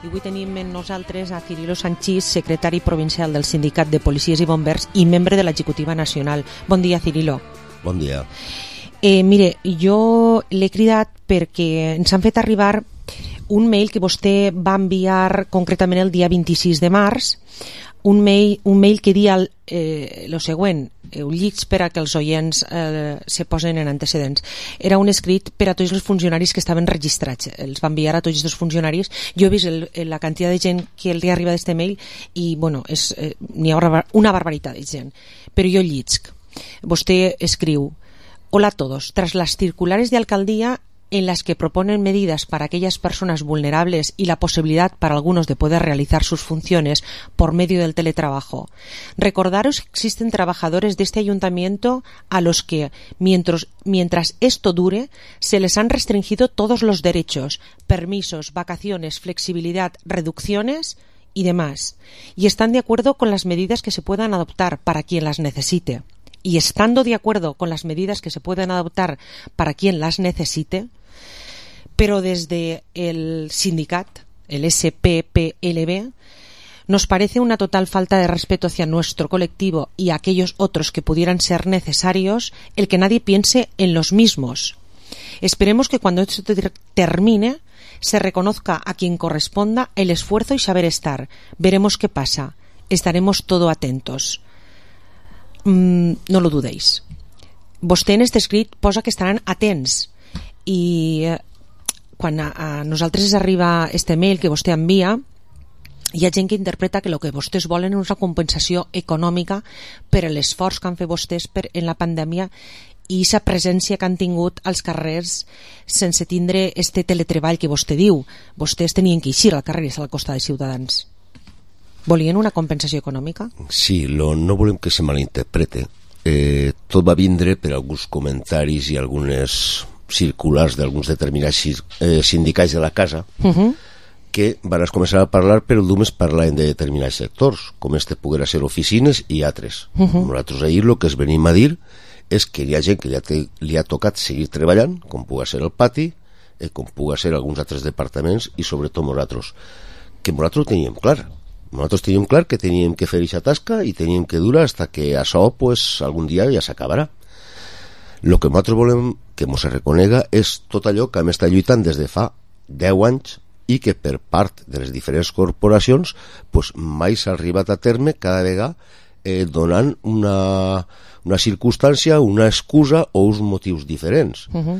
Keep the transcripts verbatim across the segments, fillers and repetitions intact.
I avui tenim amb nosaltres a Cirilo Sanchís, secretari provincial del Sindicat de Policies i Bombers i membre de l'executiva nacional. Bon dia, Cirilo. Bon dia. Eh, mire, jo l'he cridat perquè ens han fet arribar un mail que vostè va enviar concretament el dia vint-i-sis de març, un mail, un mail que dia el eh, lo següent, ho llits per a que els oients eh, se posen en antecedents. Era un escrit per a tots els funcionaris que estaven registrats, els va enviar a tots els funcionaris. Jo he vist el, la quantitat de gent que li arriba d'este mail i, bueno, és, eh, n'hi ha una barbaritat de gent, però jo llitsc. Vostè escriu: hola a todos, tras las circulares de alcaldía en las que proponen medidas para aquellas personas vulnerables y la posibilidad para algunos de poder realizar sus funciones por medio del teletrabajo. Recordaros que existen trabajadores de este ayuntamiento a los que, mientras, mientras esto dure, se les han restringido todos los derechos, permisos, vacaciones, flexibilidad, reducciones y demás, y están de acuerdo con las medidas que se puedan adoptar para quien las necesite. Y estando de acuerdo con las medidas que se pueden adoptar para quien las necesite, pero desde el sindicat, el S P P L B, nos parece una total falta de respeto hacia nuestro colectivo y aquellos otros que pudieran ser necesarios el que nadie piense en los mismos. Esperemos que cuando esto termine se reconozca a quien corresponda el esfuerzo y saber estar. Veremos qué pasa. Estaremos todo atentos. No lo dudéis. Vostè en este escrit posa que estaran atents i eh, quan a, a nosaltres arriba este mail que vostè envia, hi ha gent que interpreta que el que vostès volen és una compensació econòmica per l'esforç que han fet vostès per, en la pandèmia i aquesta presència que han tingut als carrers sense tindre este teletreball que vostè diu. Vostès tenien que eixir al carrer i estar al costat de Ciutadans. Volien una compensació econòmica? Sí, lo, no volem que se malinterprete. Eh, tot va vindre per alguns comentaris i algunes circulars d'alguns determinats eh, sindicats de la casa uh-huh. que van començar a parlar, però només parlaven de determinats sectors, com este poguera ser oficines i altres. Uh-huh. Nosaltres ahir el que es venim a dir és que hi ha gent que li ha, te, li ha tocat seguir treballant, com puga ser el pati, eh, com puga ser alguns altres departaments i sobretot nosaltres, que nosaltres ho teníem clar. Nosaltres teníem clar que teníem que fer aquesta tasca i teníem que durar hasta que això pues, algun dia ja s'acabarà. El que nosaltres volem que ens reconega és tot allò que hem estat lluitant des de fa deu anys i que per part de les diferents corporacions pues, mai s'ha arribat a terme cada vegada eh, donant una, una circumstància, una excusa o uns motius diferents. Uh-huh.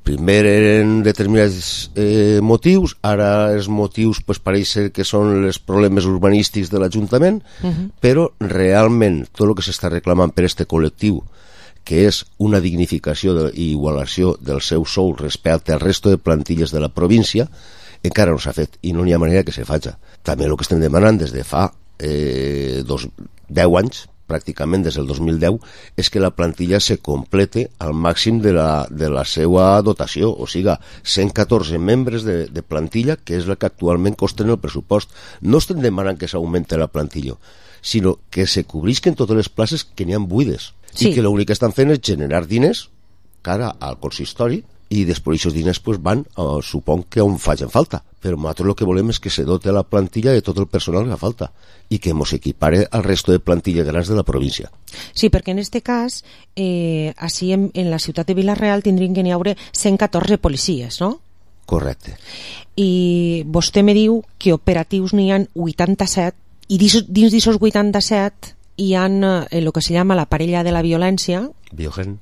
Primer eren determinats eh, motius, ara els motius pues, pareix ser que són els problemes urbanístics de l'Ajuntament, uh-huh. però realment tot el que s'està reclamant per este col·lectiu, que és una dignificació i igualació del seu sou respecte al resto de plantilles de la província, encara no s'ha fet i no n'hi ha manera que se faci. També el que estem demanant des de fa eh, dos, deu anys, pràcticament des del dos mil deu, és que la plantilla se complete al màxim de la, de la seva dotació, o sigui, cent catorze membres de, de plantilla, que és la que actualment costen el pressupost. No estem demanant que s'augmente la plantilla, sinó que se cobrisquen totes les places que n'hi ha buides, sí. I que l'únic que estan fent és generar diners cara al consistori i després aquests diners pues, van, uh, supon que on facin falta, però nosaltres el que volem és que se dote la plantilla de tot el personal que fa falta i que ens equipare al resto de plantilles grans de la província. Sí, perquè en este cas, eh, així en, en la ciutat de Vila-real tindrien que n'hi haure cent catorze policies, no? Correcte. I vostè me diu que operatius n'hi ha vuitanta-set i dins d'aquests vuitanta-set hi ha eh, el que se llama la parella de la violència Biogen.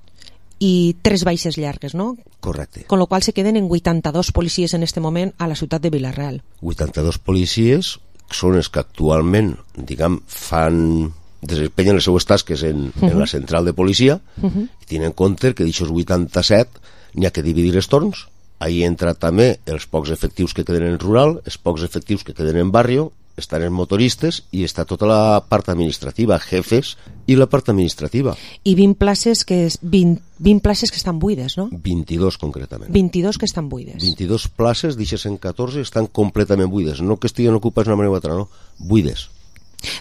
I tres baixes llargues, no? Correcte. Con lo qual se queden en vuitanta-dos policies en este moment a la ciutat de Vila-real. vuitanta-dos policies són els que actualment, diguem, fan, desempenyen les seues tasques en, uh-huh. en la central de policia uh-huh. i tenen en compte que d'aixòs vuitanta-set n'hi ha que dividir els torns. Ahí entra també els pocs efectius que queden en rural, els pocs efectius que queden en barri, estan els motoristes i està tota la part administrativa, jefes i la part administrativa. I vint places que, vint, vint places que estan buides, no? vint-i-dos concretament. vint-i-dos que estan buides. vint-i-dos places, d'aixes cent catorze, estan completament buides. No que estiguen ocupats d'una manera o altra, no. Buides.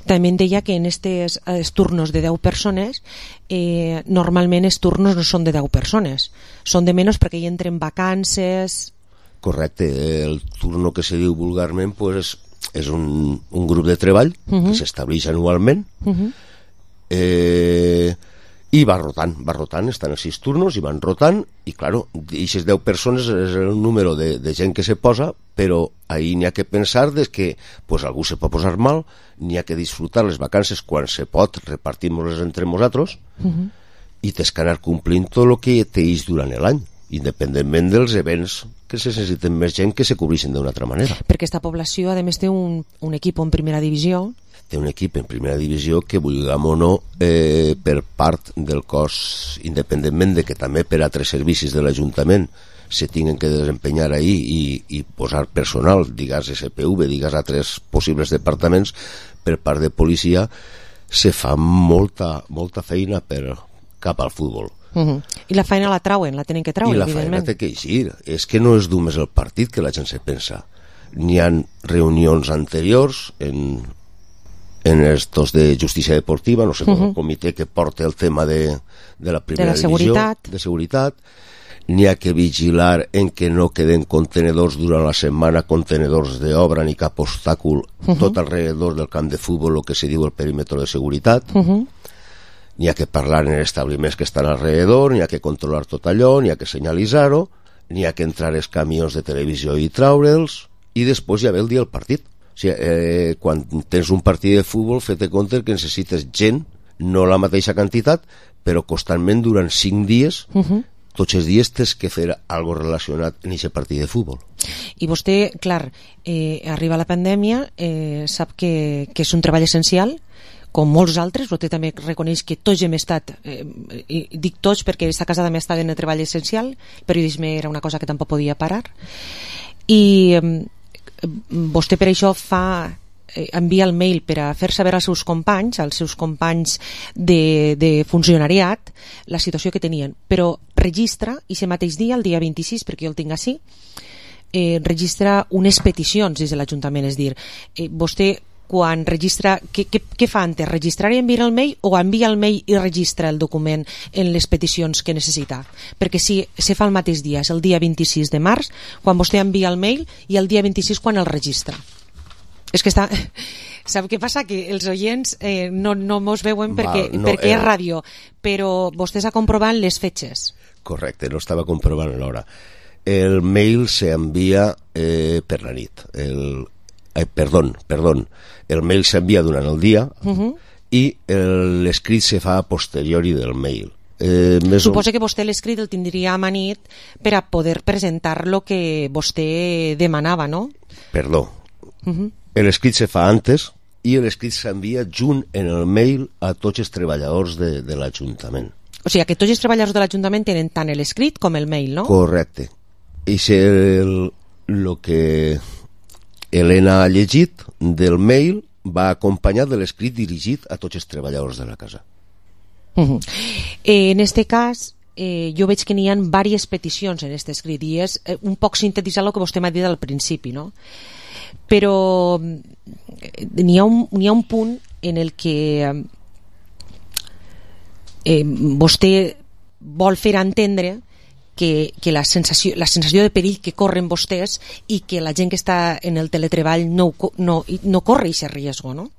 També deia que en aquests turnos de deu persones, eh, normalment els turnos no són de deu persones. Són de menys perquè hi entren vacances... Correcte, el turno que se diu vulgarment pues, és un, un grup de treball uh-huh. que s'estableix anualment uh-huh. eh, i va rotant, va rotant, estan els sis turnos i van rotant, i claro, aquestes deu persones és el número de, de gent que se posa, però ahí n'hi ha que pensar des que pues, algú se pot posar mal, n'hi ha que disfrutar les vacances quan se pot, repartim-les entre nosaltres uh-huh. i tens que anar complint tot el que teix durant l'any, independentment dels events que se necessiten més gent que se cobreixen d'una altra manera. Perquè aquesta població, a més, té un, un equip en primera divisió. Té un equip en primera divisió que, vulguem o no, eh, per part del cos, independentment de que també per altres servicis de l'Ajuntament se tinguen que desempenyar ahí i, i posar personal, digues S P V, digues altres possibles departaments, per part de policia, se fa molta, molta feina per, cap al futbol. Uh-huh. I la feina la trauen, la tenen que traure, I la evidentment. feina té que eixir. És que no és només el partit que la gent se pensa. N'hi ha reunions anteriors en, en estos de justícia deportiva, no sé, uh-huh. el comitè que porta el tema de, de la primera de la divisió, seguretat. de seguretat. N'hi ha que vigilar en que no queden contenedors durant la setmana, contenedors d'obra ni cap obstàcul uh-huh. tot alrededor del camp de futbol, el que se diu el perímetre de seguretat. Uh-huh. N'hi ha que parlar en els establiments que estan alrededor, n'hi ha que controlar tot allò, n'hi ha que senyalitzar-ho, n'hi ha que entrar els camions de televisió i traure'ls, i després ja ve el dia del partit. O sigui, eh, quan tens un partit de futbol, fet-te compte que necessites gent, no la mateixa quantitat, però constantment durant cinc dies, uh-huh. tots els dies tens que fer algo relacionat amb aquest partit de futbol. I vostè, clar, eh, arriba la pandèmia, eh, sap que, que és un treball essencial, com molts altres, vostè també reconeix que tots hem estat, eh, dic tots perquè aquesta casa també estava en el treball essencial, el periodisme era una cosa que tampoc podia parar, i eh, vostè per això fa, eh, envia el mail per a fer saber als seus companys, als seus companys de, de funcionariat, la situació que tenien, però registra, i aquest mateix dia, el dia vint-i-sis, perquè jo el tinc així, eh, registra unes peticions des de l'Ajuntament, és dir, eh, vostè quan registra, què, què, què fa antes? Registrar i enviar el mail o envia el mail i registra el document en les peticions que necessita? Perquè si se fa el mateix dia, és el dia vint-i-sis de març, quan vostè envia el mail, i el dia vint-i-sis quan el registra. És que està... Sap què passa? Que els oients eh, no, no mos veuen perquè, Val, no, perquè eh... és ràdio, però vostè està comprovant les fetges. Correcte, no estava comprovant l'hora. El mail s'envia eh, per la nit. El... Eh, perdó, perdó. El mail s'envia durant el dia uh-huh. i l'escrit se fa a posteriori del mail. Eh, Suposa o... que vostè l'escrit el tindria a manit per a poder presentar lo que vostè demanava, no? Perdó. Uh-huh. L'escrit se fa antes i l'escrit s'envia junt en el mail a tots els treballadors de, de l'Ajuntament. O sigui que tots els treballadors de l'Ajuntament tenen tant l'escrit com el mail, no? Correcte. I és el, el que Helena ha llegit del mail va acompanyat de l'escrit dirigit a tots els treballadors de la casa. Uh-huh. Eh, en este cas, eh, jo veig que n'hi ha diverses peticions en aquest escrit i és eh, un poc sintetitzar el que vostè m'ha dit al principi, no? Però n'hi ha, un, n'hi ha un punt en el que eh, vostè vol fer entendre que, que la, sensació, la sensació de perill que corren vostès i que la gent que està en el teletreball no, no, no corre aquest risc, no?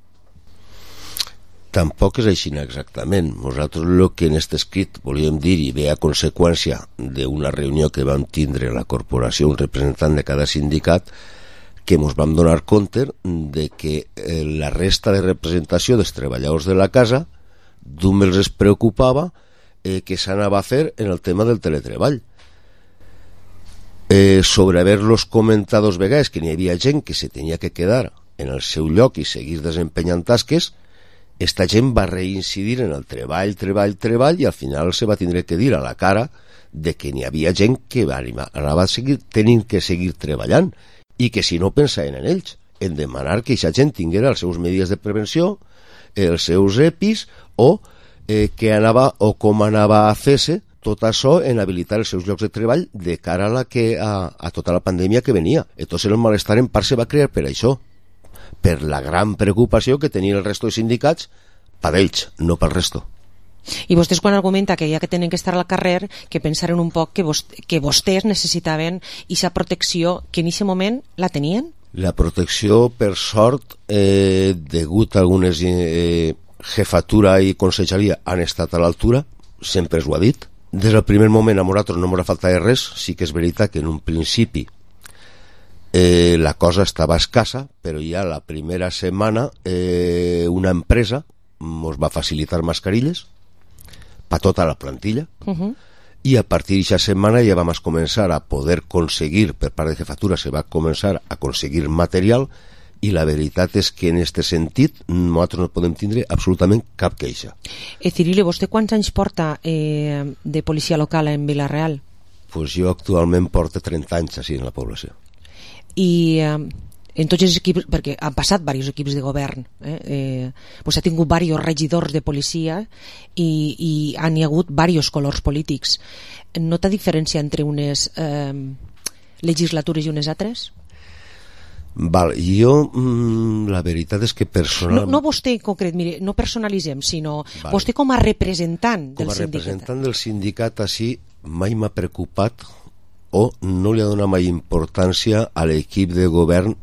Tampoc és així exactament. Nosaltres el que en aquest escrit volíem dir i ve a conseqüència d'una reunió que vam tindre a la corporació, un representant de cada sindicat, que ens vam donar compte de que eh, la resta de representació dels treballadors de la casa només els preocupava eh, que s'anava a fer en el tema del teletreball. Eh, sobre haver-los comentat dos vegades que n'hi havia gent que se tenia que quedar en el seu lloc i seguir desempenyant tasques, esta gent va reincidir en el treball, treball, treball i al final se va tindre que dir a la cara de que n'hi havia gent que anava a seguir tenint que seguir treballant i que si no pensaven en ells, en demanar que aquesta gent tinguera els seus medides de prevenció, els seus EPIs o eh, que anava o com anava a fer-se tot això en habilitar els seus llocs de treball de cara a, la que, a, a tota la pandèmia que venia. Entonces el malestar en part se va crear per això, per la gran preocupació que tenien el resto de sindicats per ells, no pel resto. I vostès quan argumenta que ja que tenen que estar al carrer, que pensaren un poc que, vos, que vostès necessitaven aquesta protecció, que en aquest moment la tenien? La protecció, per sort, eh, degut a algunes eh, jefatura i conselleria han estat a l'altura, sempre es ho ha dit. Des del primer moment a nosaltres no m'ha faltat res, sí que és veritat que en un principi eh, la cosa estava escassa, però ja la primera setmana eh, una empresa ens va facilitar mascarilles per tota la plantilla, uh-huh. I a partir d'aquesta setmana ja vam començar a poder aconseguir, per part de jefatura se va començar a aconseguir material, i la veritat és que en aquest sentit nosaltres no podem tindre absolutament cap queixa. Eh, Cirilo, vostè quants anys porta eh, de policia local en Vila-real? Pues jo actualment porto trenta anys així en la població. I eh, en tots els equips, perquè han passat diversos equips de govern, eh? Eh, pues ha tingut diversos regidors de policia i, i han hi hagut diversos colors polítics. Nota diferència entre unes eh, legislatures i unes altres? Val, jo mm, la veritat és que personalment... No, no vostè en concret, mire, no personalitzem, sinó vale. Vostè com a representant del sindicat. Com a representant del sindicat, així mai m'ha preocupat o no li ha donat mai importància a l'equip de govern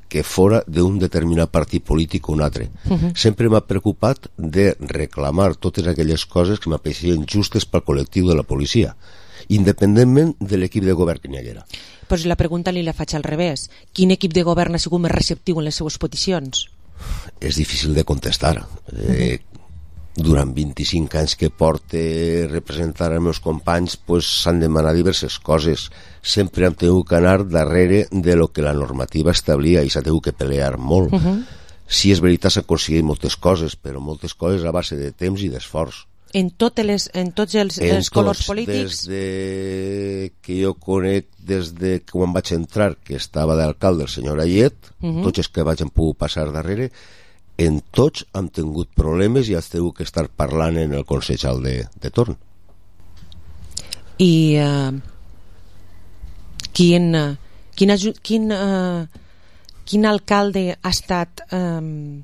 que fora d'un determinat partit polític o un altre. Uh-huh. Sempre m'ha preocupat de reclamar totes aquelles coses que m'apareixien justes pel col·lectiu de la policia, independentment de l'equip de govern que n'hi haguera. Pues la pregunta li la faig al revés. Quin equip de govern ha sigut més receptiu en les seues peticions? És difícil de contestar. Eh, durant vint-i-cinc anys que porte representar els meus companys, pues, s'han demanat diverses coses. Sempre hem tingut que anar darrere de lo que la normativa establia i s'ha tingut que pelear molt. Uh-huh. Sí, és veritat, s'han aconseguit moltes coses, però moltes coses a base de temps i d'esforç. En, totes les, en tots els, en els colors tots, polítics? Des de que jo conec, des de que quan vaig entrar, que estava d'alcalde el senyor Ayet, uh-huh. Tots els que vaig hem pogut passar darrere, en tots hem tingut problemes i has tingut que estar parlant en el consell de, de torn. I uh, quin, quin, quin, uh, quin alcalde ha estat um,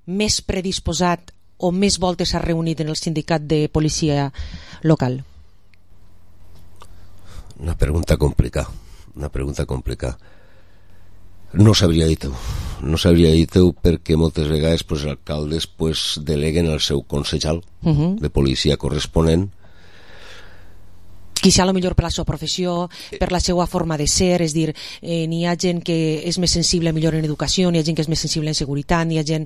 més predisposat o més voltes s'ha reunit en el sindicat de policia local? Una pregunta complicada, una pregunta complicada. No sabria dir-ho, no sabria dir-ho perquè moltes vegades pues, els alcaldes pues, deleguen el seu consellal uh-huh. de policia corresponent. Quizá a lo millor per la seva professió, per la seva forma de ser, és dir, eh, n'hi ha gent que és més sensible millor en educació, n'hi ha gent que és més sensible en seguretat, n'hi ha gent,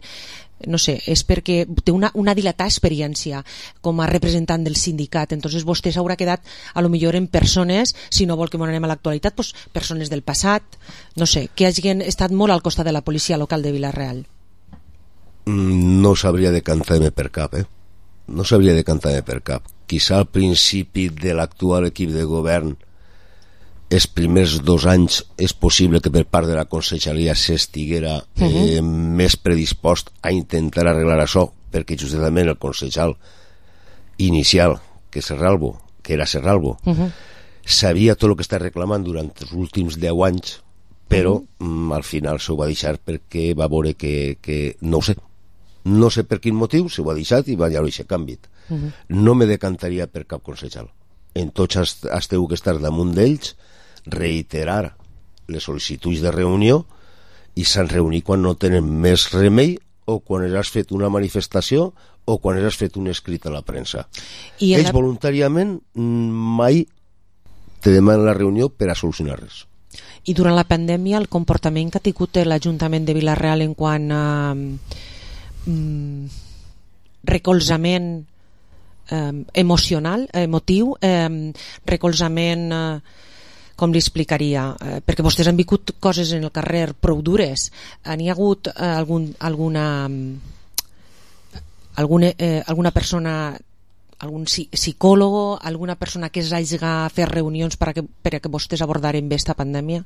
no sé, és perquè té una, una dilatada experiència com a representant del sindicat, entonces vostè s'haurà quedat a lo millor en persones, si no vol que m'anem a l'actualitat, pues, persones del passat, no sé, que hagin estat molt al costat de la policia local de Vila-real. No sabria decantar-me per cap, eh? No sabria decantar-me per cap. Quizà al principi de l'actual equip de govern els primers dos anys és possible que per part de la conselleria s'estiguera eh, uh-huh. més predispost a intentar arreglar això, perquè justament el consellal inicial, que, Serralbo, que era Serralbo, uh-huh. sabia tot el que està reclamant durant els últims deu anys, però uh-huh. mm, al final s'ho va deixar perquè va veure que, que no ho sé, no sé per quin motiu, s'ho ha deixat i va ja deixar canviat. Uh-huh. No me decantaria per cap consellal. En tots has, has tingut que estar damunt d'ells, reiterar les sol·licituds de reunió i s'han reunit quan no tenen més remei o quan has fet una manifestació o quan has fet un escrit a la premsa. I ells la... voluntàriament mai te demanen la reunió per a solucionar res. I durant la pandèmia el comportament que ha tingut l'Ajuntament de Vila-real en quant a mm, recolzament eh, emocional, emotiu, eh, recolzament, eh, com li explicaria, eh, perquè vostès han viscut coses en el carrer prou dures. N'hi ha hagut eh, algun, alguna, alguna, eh, alguna persona, algun psicòlogo, alguna persona que es hagi a fer reunions per a que, per a que vostès abordaren bé esta pandèmia?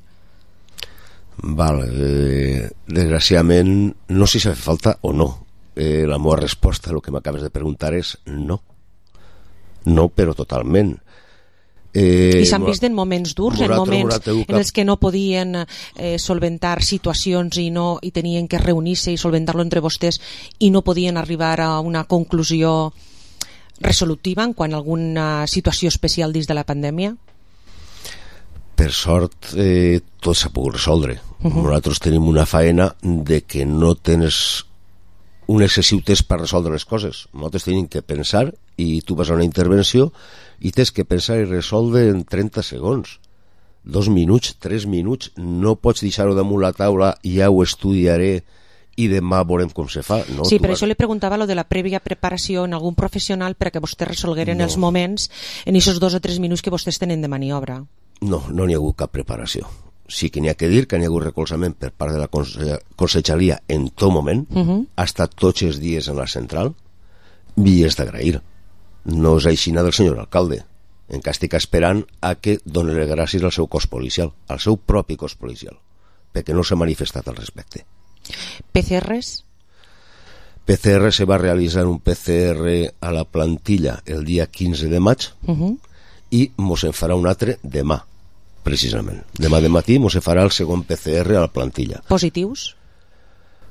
Val, eh, desgraciadament no sé si fa falta o no. Eh, la meva resposta a el que m'acabes de preguntar és no. No, però totalment. Eh, I s'han vist en moments durs, en moments en els que no podien eh, solventar situacions i, no, i tenien que reunir-se i solventar-lo entre vostès i no podien arribar a una conclusió resolutiva en quant a alguna situació especial dins de la pandèmia? Per sort, eh, tot s'ha pogut resoldre. Uh -huh. Nosaltres tenim una faena de que no tens un excessiu temps per resoldre les coses. Nosaltres tenim que pensar, i tu vas a una intervenció i tens que pensar i resoldre en trenta segons. Dos minuts, tres minuts, no pots deixar-ho damunt la taula, ja ho estudiaré i demà veurem com se fa. No, sí, per vas... això li preguntava lo de la prèvia preparació en algun professional perquè vostès resolgueren no. els moments en aquests dos o tres minuts que vostès tenen de maniobra. No, no n'hi ha hagut cap preparació. Sí que n'hi ha que dir que n'hi ha hagut recolzament per part de la conselleria en tot moment, uh -huh. ha estat tots els dies en la central, i és d'agrair. No és aixina del senyor alcalde. Encara estic esperant a que doni les gràcies al seu cos policial, al seu propi cos policial, perquè no s'ha manifestat al respecte. P C Rs? P C R se va realitzar un P C R a la plantilla el dia quinze de maig uh -huh. i mos en farà un altre demà, precisament. Demà de matí mos en farà el segon P C R a la plantilla. Positius?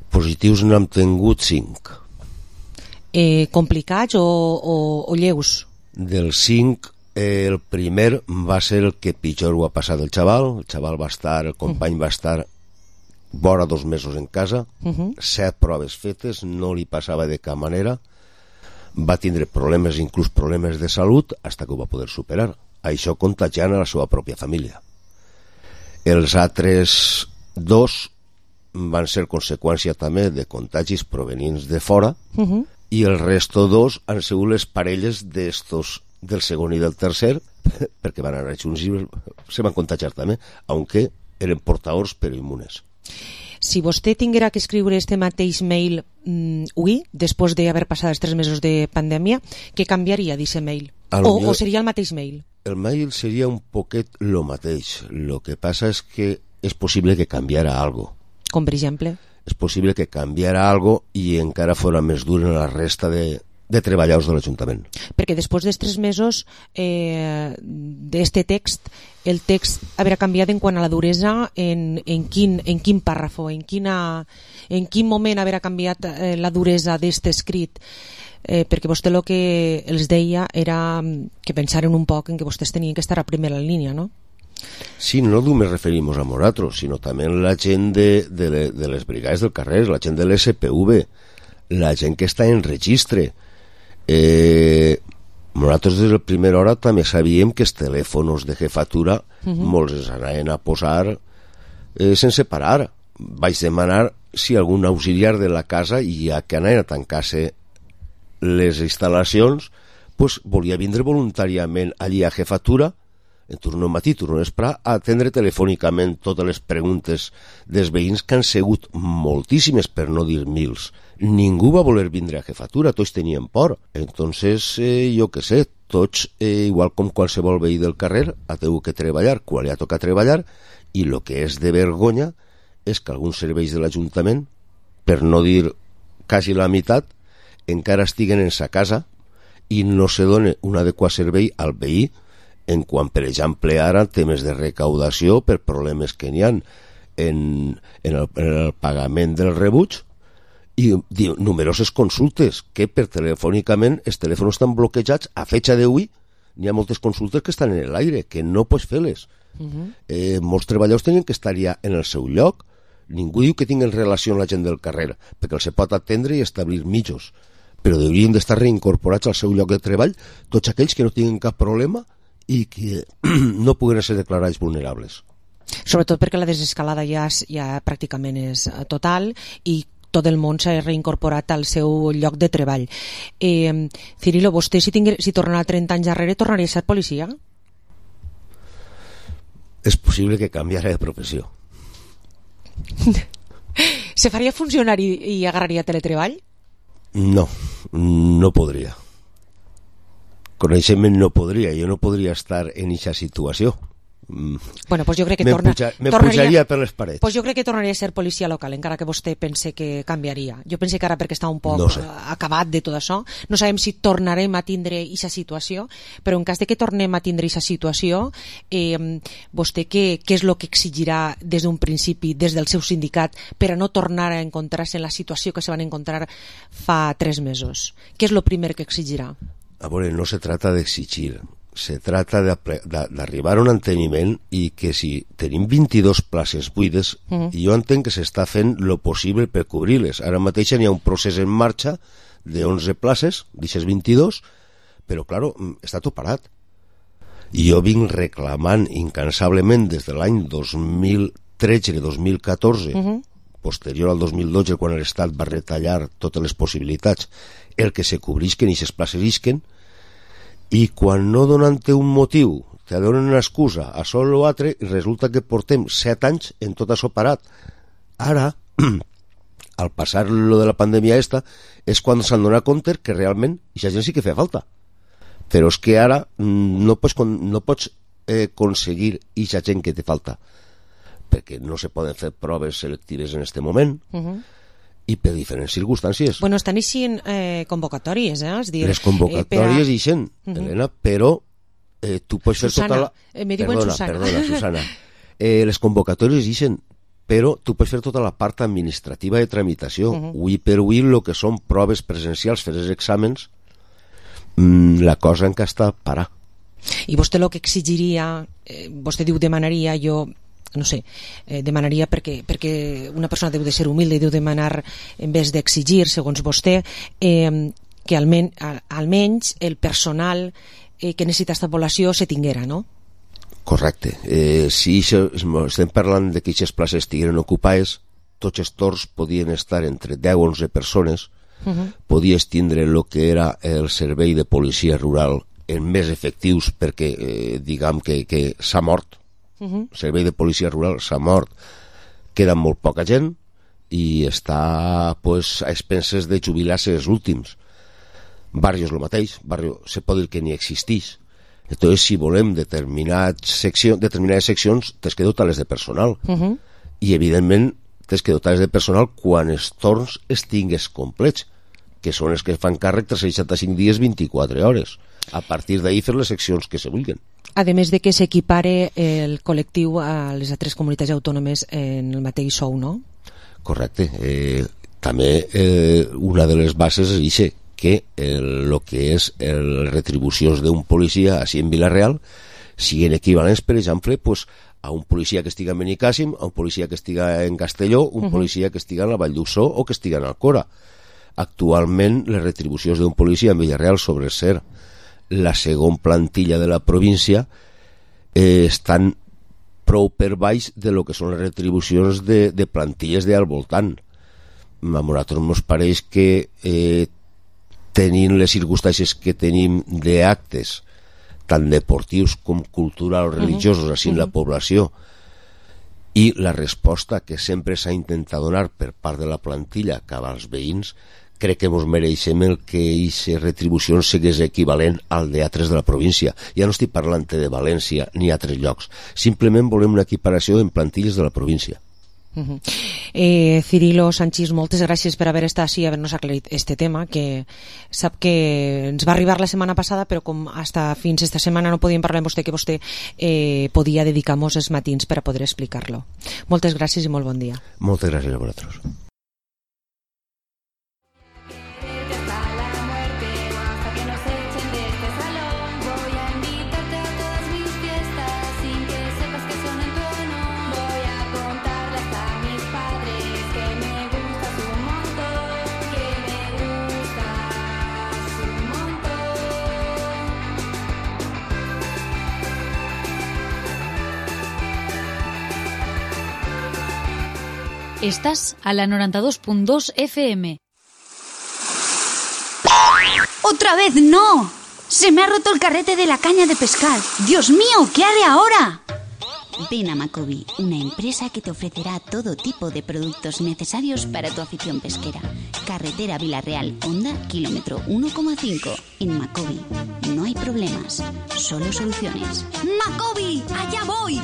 Positius n'hem tingut cinc. Eh, complicats o, o, o lleus? Dels cinc, eh, el primer va ser el que pitjor ho ha passat el xaval. El xaval va estar, el company uh -huh. va estar vora dos mesos en casa, uh -huh. set proves fetes, no li passava de cap manera, va tindre problemes, inclús problemes de salut, fins que ho va poder superar. Això contagiant a la seva pròpia família. Els altres dos van ser conseqüència també de contagis provenents de fora, uh -huh. i el resto dos han sigut les parelles d'estos del segon i del tercer, perquè van anar junts i se van contagiar també, aunque eren portadors però immunes. Si vostè tinguera que escriure este mateix mail mm, avui, després d'haver passat els tres mesos de pandèmia, què canviaria d'aquest mail? O, o seria el mateix mail? El mail seria un poquet lo mateix. Lo que passa és que és possible que canviara algo. Com per exemple? És possible que canviara algo i encara fora més dur en la resta de, de treballadors de l'Ajuntament. Perquè després dels tres mesos eh, d'este text, el text haurà canviat en quant a la duresa, en, en, quin, en quin pàrrafo, en, quina, en quin moment haurà canviat eh, la duresa d'este escrit, eh, perquè vostè el que els deia era que pensaren un poc en que vostès tenien que estar a primera línia, no? Sí, no només referim a nosaltres, sinó també la gent de, de, le, de les brigades del carrer, la gent de l'S P V, la gent que està en registre. Eh, nosaltres des de la primera hora també sabíem que els telèfons de jefatura uh -huh. molts els anaven a posar eh, sense parar. Vaig demanar si algun auxiliar de la casa, ja que anaven a tancar-se les instal·lacions, pues, volia vindre voluntàriament allí a jefatura en turno matí, turno vespre, a atendre telefònicament totes les preguntes dels veïns, que han sigut moltíssimes, per no dir mils. Ningú va voler vindre a jefatura, tots tenien por. Entonces, eh, jo què sé, tots, eh, igual com qualsevol veí del carrer, ha tingut que treballar quan li ha tocat treballar, i el que és de vergonya és que alguns serveis de l'Ajuntament, per no dir quasi la meitat, encara estiguen en sa casa i no se dona un adequat servei al veí, en quan, per exemple, ara temes de recaudació per problemes que n'hi ha en, en, el, en el pagament del rebuig, i diu, numeroses consultes que per telefònicament els telèfons estan bloquejats. A fecha d'avui n'hi ha moltes consultes que estan en l'aire, que no pots fer-les. Uh -huh. eh, molts treballadors tenen que estar ja en el seu lloc. Ningú diu que tinguin relació amb la gent del carrer, perquè els pot atendre i establir mitjos, però haurien d'estar reincorporats al seu lloc de treball tots aquells que no tinguin cap problema i que no puguen ser declarats vulnerables. Sobretot perquè la desescalada ja, ja pràcticament és total i tot el món s'ha reincorporat al seu lloc de treball. Eh, Cirilo, vostè si, tingué, si tornarà trenta anys darrere tornaria a ser policia? És possible que canviara de professió. Se faria funcionari i agarraria teletreball? No, no podria. Coneixement no podria, jo no podria estar en aquesta situació. Bueno, pues jo crec que torna, puja, me pujaria per les parets. Pues jo crec que tornaria a ser policia local, encara que vostè pense que canviaria. Jo pense que ara, perquè està un poc no sé. acabat de tot això, no sabem si tornarem a tindre aquesta situació, però en cas de que tornem a tindre aquesta situació, eh, vostè què, què és el que exigirà des d'un principi, des del seu sindicat, per a no tornar a encontrar-se en la situació que se van encontrar fa tres mesos? Què és el primer que exigirà? A veure, no se trata d'exigir, se trata d'arribar a un enteniment i que si tenim vint-i-dos places buides, uh-huh. jo entenc que s'està fent lo possible per cobrir-les. Ara mateix n'hi ha un procés en marxa de onze places, d'aquestes vint-i-dos, però, claro, està tot parat. I jo vinc reclamant incansablement des de l'any dos mil tretze, dos mil catorze, uh-huh. posterior al dos mil dotze, quan l'Estat va retallar totes les possibilitats, el que se cobrisquen i aquestes places isquen, i quan no donant-te un motiu te donen una excusa a sol o altre, resulta que portem set anys en tot això parat. Ara, al passar lo de la pandèmia esta, és quan s'han donat compte que realment aquesta gent sí que feia falta. Però és que ara no pots, no pots eh, aconseguir aquesta gent que te falta, perquè no se poden fer proves selectives en aquest moment, uh-huh. i per diferents circumstàncies. Bueno, estan eixint eh, convocatòries, eh? És dir, les convocatòries eh, eixen, uh-huh. Helena, però eh, tu pots Susana, fer tota la... Eh, me diuen perdona, Susana. Perdona, Susana. Eh, les convocatòries eixen, però tu pots fer tota la part administrativa de tramitació. Uh-huh. Avui per avui, el que són proves presencials, fer els exàmens, mmm, la cosa encara està parar. I vostè el que exigiria, eh, vostè diu demanaria, jo no sé, eh, demanaria perquè, perquè una persona deu de ser humilde i deu demanar en vez d'exigir, segons vostè, eh, que almen, al, almenys el personal eh, que necessita aquesta població se tinguera, no? Correcte. Eh, si això, estem parlant de que aquestes places estigueren ocupades, tots els torns podien estar entre deu o onze persones, uh-huh. Podies tindre el que era el servei de policia rural en més efectius perquè, eh, diguem que, que s'ha mort. Uh-huh. El servei de policia rural s'ha mort, queda molt poca gent i està pues, a expenses de jubilar-se els últims. Barrios el mateix, barrio se pot dir que ni existeix. Entonces, si volem determinades seccions, determinades seccions, tens que dotar-les de personal. Uh-huh. I, evidentment, tens que dotar-les de personal quan els torns estigues complets, que són els que fan càrrec tres cents seixanta-cinc dies, vint-i-quatre hores. A partir d'ahir fer les seccions que se vulguin. A més de que s'equipare el col·lectiu a les altres comunitats autònomes en el mateix sou, no? Correcte. Eh, també eh, una de les bases és això, que el, el que és les retribucions d'un policia així en Vila-real siguin equivalents, per exemple, pues, a un policia que estiga en Benicàssim, a un policia que estiga en Castelló, un uh-huh. policia que estiga en la Vall d'Uixó o que estiga en Alcora. Actualment, les retribucions d'un policia en Vila-real sobre ser la segona plantilla de la província eh, estan prou per baix de lo que són les retribucions de, de plantilles de al voltant. A nosaltres ens pareix que eh, tenint les circumstàncies que tenim d'actes tant deportius com culturals o religiosos uh-huh. així en uh-huh. la població i la resposta que sempre s'ha intentat donar per part de la plantilla cap als veïns, crec que ens mereixem el que aquesta retribució sigués equivalent al d'altres de la província. Ja no estic parlant de València ni altres llocs. Simplement volem una equiparació en plantilles de la província. Uh-huh. eh, Cirilo Sanchis, moltes gràcies per haver estat així i haver-nos aclarit este tema, que sap que ens va arribar la setmana passada, però com hasta fins esta setmana no podíem parlar amb vostè, que vostè eh, podia dedicar-nos els matins per a poder explicar-lo. Moltes gràcies i molt bon dia. Moltes gràcies a vosaltres. Estás a la noventa y dos punto dos F M. ¡Otra vez no! ¡Se me ha roto el carrete de la caña de pescar! ¡Dios mío! ¿Qué haré ahora? Ven a Macobi, una empresa que te ofrecerá todo tipo de productos necesarios para tu afición pesquera. Carretera Vila-real, Honda, kilómetro uno coma cinco. En Macobi no hay problemas, solo soluciones. ¡Macobi! ¡Allá voy!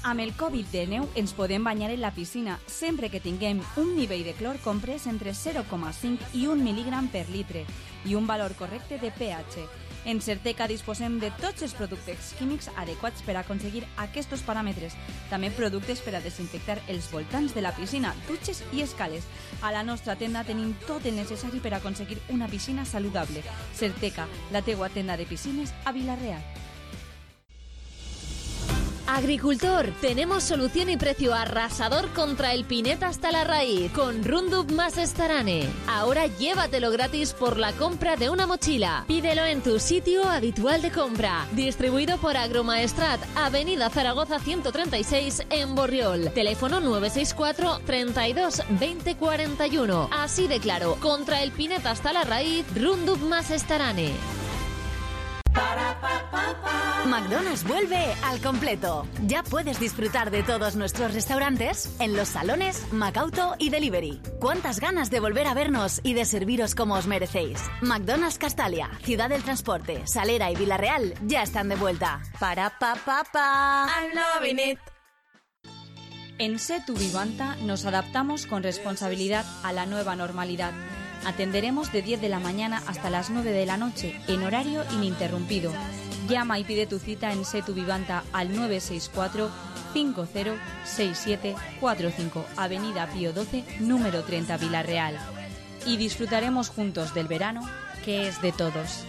Amb el Covid dinou ens podem banyar en la piscina sempre que tinguem un nivell de clor comprès entre zero coma cinc i un mil·lígram per litre i un valor correcte de pH. En Certeca disposem de tots els productes químics adequats per aconseguir aquests paràmetres. També productes per a desinfectar els voltants de la piscina, dutxes i escales. A la nostra tenda tenim tot el necessari per aconseguir una piscina saludable. Certeca, la teua tenda de piscines a Vila-real. Agricultor, tenemos solución y precio arrasador contra el pineta hasta la raíz con Roundup más Starane. Ahora llévatelo gratis por la compra de una mochila. Pídelo en tu sitio habitual de compra. Distribuido por Agromaestrat, Avenida Zaragoza ciento treinta y seis en Borriol. Teléfono nueve seis cuatro, treinta y dos, veinte cuarenta y uno. Así de claro, contra el pineta hasta la raíz, Roundup más Starane. McDonald's vuelve al completo. Ya puedes disfrutar de todos nuestros restaurantes en los salones, Macauto y Delivery. ¿Cuántas ganas de volver a vernos y de serviros como os merecéis? McDonald's Castalia, Ciudad del Transporte, Salera y Vila-real ya están de vuelta. Para pa pa pa. I'm loving it. En Setu Vivanta nos adaptamos con responsabilidad a la nueva normalidad. Atenderemos de diez de la mañana hasta las nueve de la noche, en horario ininterrumpido. Llama y pide tu cita en Setu Vivanta al nueve seis cuatro, cinco cero, seis siete cuatro cinco, Avenida Pío doce, número treinta, Vila-real. Y disfrutaremos juntos del verano, que es de todos.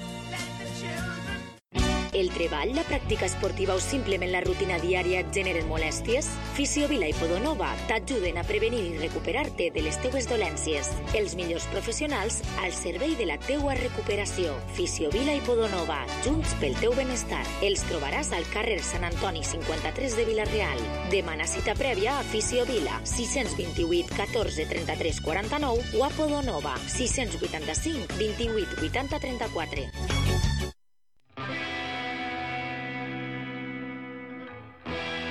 El treball, la pràctica esportiva o simplement la rutina diària et generen molèsties? Fisiovila i Podonova t'ajuden a prevenir i recuperar-te de les teues dolències. Els millors professionals al servei de la teua recuperació. Fisiovila i Podonova, junts pel teu benestar. Els trobaràs al carrer Sant Antoni cinquanta-tres de Vila-real. Demana cita prèvia a Fisiovila, sis dos vuit, catorze, trenta-tres, quaranta-nou o a Podonova, sis vuit cinc, vint-i-vuit, vuitanta, trenta-quatre.